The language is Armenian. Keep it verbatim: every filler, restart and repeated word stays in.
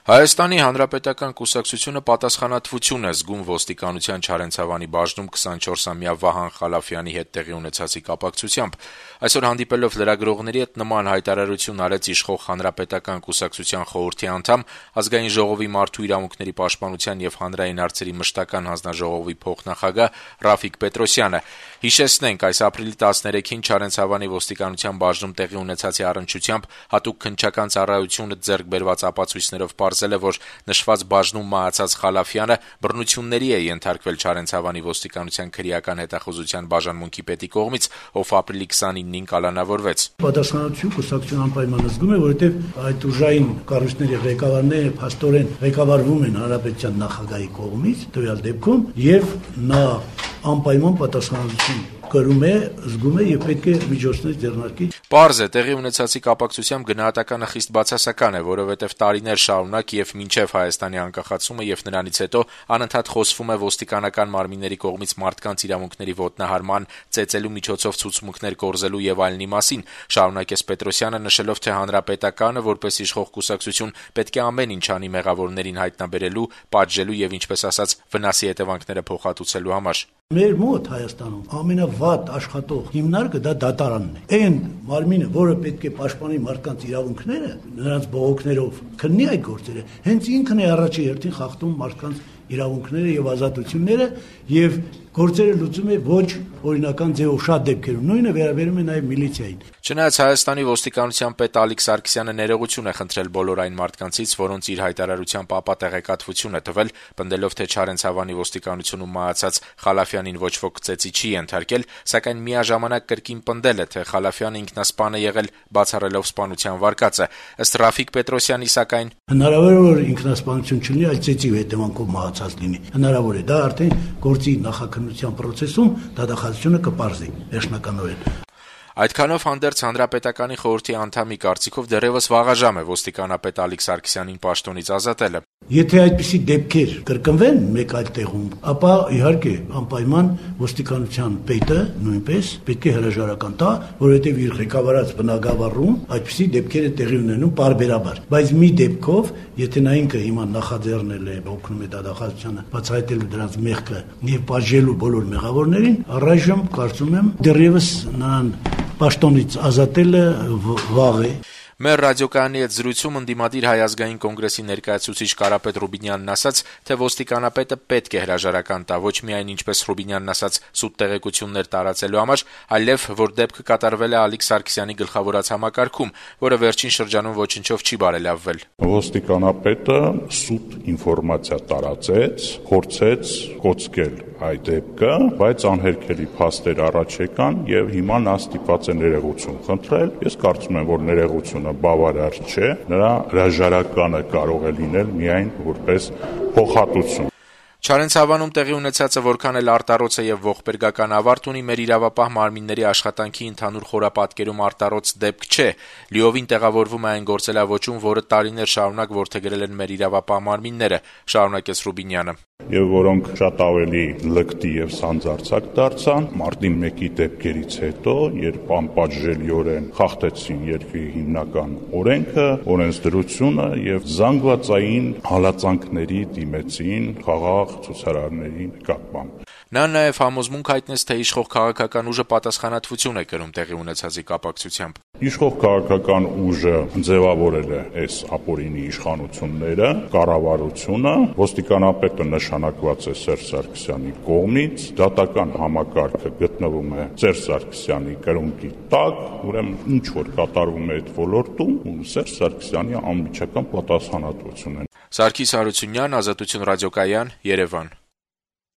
Հայաստանի Հանրապետական կուսակցությունը պատասխանատվություն է զգում ոստիկանության Չարենցավանի բաժնում քսանչորսամյա Վահան Խալաֆյանի հետ տեղի ունեցածի կապակցությամբ։ Այսօր հանդիպելով լրագրողների հետ նման հայտարարություն արեց իշխող Հանրապետական կուսակցության խորհրդի անդամ, Ազգային ժողովի մարդու իրավունքների պաշտպանության եւ հանրային հարցերի մշտական հանձնաժողովի փոխնախագահ Ռաֆիկ Պետրոսյանը։ Հիշեցնենք, այս ապրիլի տասներեքին Չարենցավանի ոստիկանության բաժնում տեղի ունեցածի առնչությամբ հատուկ քննչական ծառայությունը ձեռք բերված ապացույցներով պարզել է, որ նշված բաժնում մահացած Խալաֆյանը բռնությունների է ենթարկվել Չարենցավանի ոստիկանության քրեական հետախուզության բաժանմունքի պետի կողմից, ով ապրիլի քսանինին կալանավորվեց։ Պատասխանատվություն կուսակցության անպայման զգում է, որովհետև այդ ուժային կառույցների ղեկավարները փաստորեն ղեկավարվում են հանրապետության նախագահի կողմից, տվյալ դեպքում, եւ նա անպայման պատասխանատվություն կրում է, զգում է եւ պետք է միջոցներ ձեռնարկի։ Պարզ է, տեղի ունեցածի կապակցությամբ գնահատականը խիստ բացասական է, որովհետև տարիներ շարունակ եւ մինչեւ Հայաստանի անկախացումը եւ նրանից հետո անընդհատ խոսվում է ոստիկանական մարմինների կողմից մարդկանց իրավունքների ոտնահարման, ծեծելու միջոցով ցուցմունքներ կորզելու եւ այլնի մասին։ Շարունակեց Պետրոսյանը, նշելով, թե Հանրապետականը որպես իշխող կուսակցություն պետք է ամեն ինչ անի մեղավորներին հայտնաբերելու, պատժելու եւ ինչպես ասած վնասի հետևանքները փոխհատուցելու համար։ Մեր մոտ Հայաստանում ամենավատ աշխատող հիմնարկը դա դատարանն է։ Այն մարմինը, որը պետք է պաշտպանի մարդկանց իրավունքները, նրանց բողոքներով քննի այդ գործերը, հենց ինքն է առաջի հերթին խախտում մարդկանց իրավունքները եւ ազատությունները եւ գործերը լուծում է ոչ օրինական ձևով շատ դեպքերում, նույնը վերաբերում է նաեւ միլիցիային։ Չնայած Հայաստանի ոստիկանության պետ Ալիկ Սարգսյանը ներողություն է խնդրել բոլոր այն մարդկանցից, որոնց իր հայտարարությամբ ապա տեղեկատվություն է տվել, պնդելով, թե Չարենցավանի ոստիկանությունում մահացած Խալաֆյանին ոչ ոք ծեծի չի ենթարկել, սակայն միաժամանակ կրկին պնդել է, թե Խալաֆյանը ինքնասպան է եղել, բացառելով սպանության վարկածը։ Ըստ Ռաֆիկ Պետրոսյանի, սակայն հնարավոր է, որ ինքնասպանություն չլինի, այլ ծեծի հետևանքով մահացած լինի։ Հնարավոր է, դա արդեն գործի նախաքննության process-ում դատախազությունը կպարզի վերջնականորեն։ Այդքանով հանդերձ Հանրապետականի խորհրդի անդամի կարծիքով դեռևս վաղաժամ է ոստիկանապետ Ալիկ Սարգսյանին պաշտոնից ազատելը։ Եթե այդպիսի դեպքեր կրկնվեն մեկ այլ տեղում, ապա իհարկե անպայման ոստիկանության պետը նույնպես պետք է հրաժարական տա, որովհետև իր ղեկավարած բնագավառում այդպիսի դեպքեր են տեղի ունենում պարբերաբար։ Բայց մի դեպքով, եթե նա ինքը հիմա նախաձեռնել է, օգնում է դատախազությանը բացահայտելու դրանց մեղքը եւ պատժելու բոլոր մեղավորներին, առայժմ կարծում եմ դեռևս նրան պաշտոնից ազատելը վաղ է։ Մեր ռադիոկայանի հետ զրույցում ընդդիմադիր Հայ ազգային կոնգրեսի ներկայացուցիչ Կարապետ Ռուբինյանն ասաց, թե ոստիկանապետը պետք է հրաժարական տա ոչ միայն ինչպես Ռուբինյանն ասաց սուտ տեղեկություններ տարածելու համար, այլև որ դեպքը կատարվել է Ալիկ Սարգսյանի գլխավորած համակարգում, որը վերջին շրջանում ոչնչով չի բարելավվել։ Ոստիկանապետը սուտ ինֆորմացիա տարածեց, փորձեց կոծկել այդ դեպքը, բայց անհերքելի փաստեր առաջ եկան եւ հիմա նա ստիպված է ներողություն խնդրել։ Ես կարծում եմ, որ ներողությունը բավարար չէ, նրա հրաժարականը կարող է լինել միայն որպես փոխհատուցում։ Չարենցավանում տեղի ունեցածը որքան էլ արտառոց է եւ ողբերգական ավարտ ունի, մեր իրավապահ մարմինների աշխատանքի ընդհանուր խորապատկերում արտառոց դեպք չէ։ Լիովին տեղավորվում է այն գործելավոճում, որը տարիներ շարունակ որդեգրել են մեր իրավապահ մարմինները, շարունակեց Ռուբինյանը։ Եվ որոնք շատ ավելի լկտի եւ սանձարձակ դարձան մարտի մեկի դեպքերից հետո, երբ անպատժելիորեն խախտեցին երկրի հիմնական օրենքը, օրենսդրությունը եւ զանգվածային հալածանքների դիմեցին խաղաղ ցուցարարների նկատմամբ։ Նա նաև համոզմունք հայտնեց, թե իշխող քաղաքական ուժը պատասխանատվություն է կրում տեղի ունեցածի կապակցությամբ։ Իշխող քաղաքական ուժը ձևավորել է այս ապօրինի իշխանությունները, կառավարությունը, ոստիկանապետը նշանակված է Սերժ Սարգսյանի կողմից, դատական համակարգը գտնվում է Սերժ Սարգսյանի կրունկի տակ, ուրեմն ինչ որ կատարվում է այդ ոլորտում, Սերժ Սարգսյանի անմիջական պատասխանատվությունն է։ Սարգիս Հարությունյան, Ազատություն ռադիոկայան, Երևան։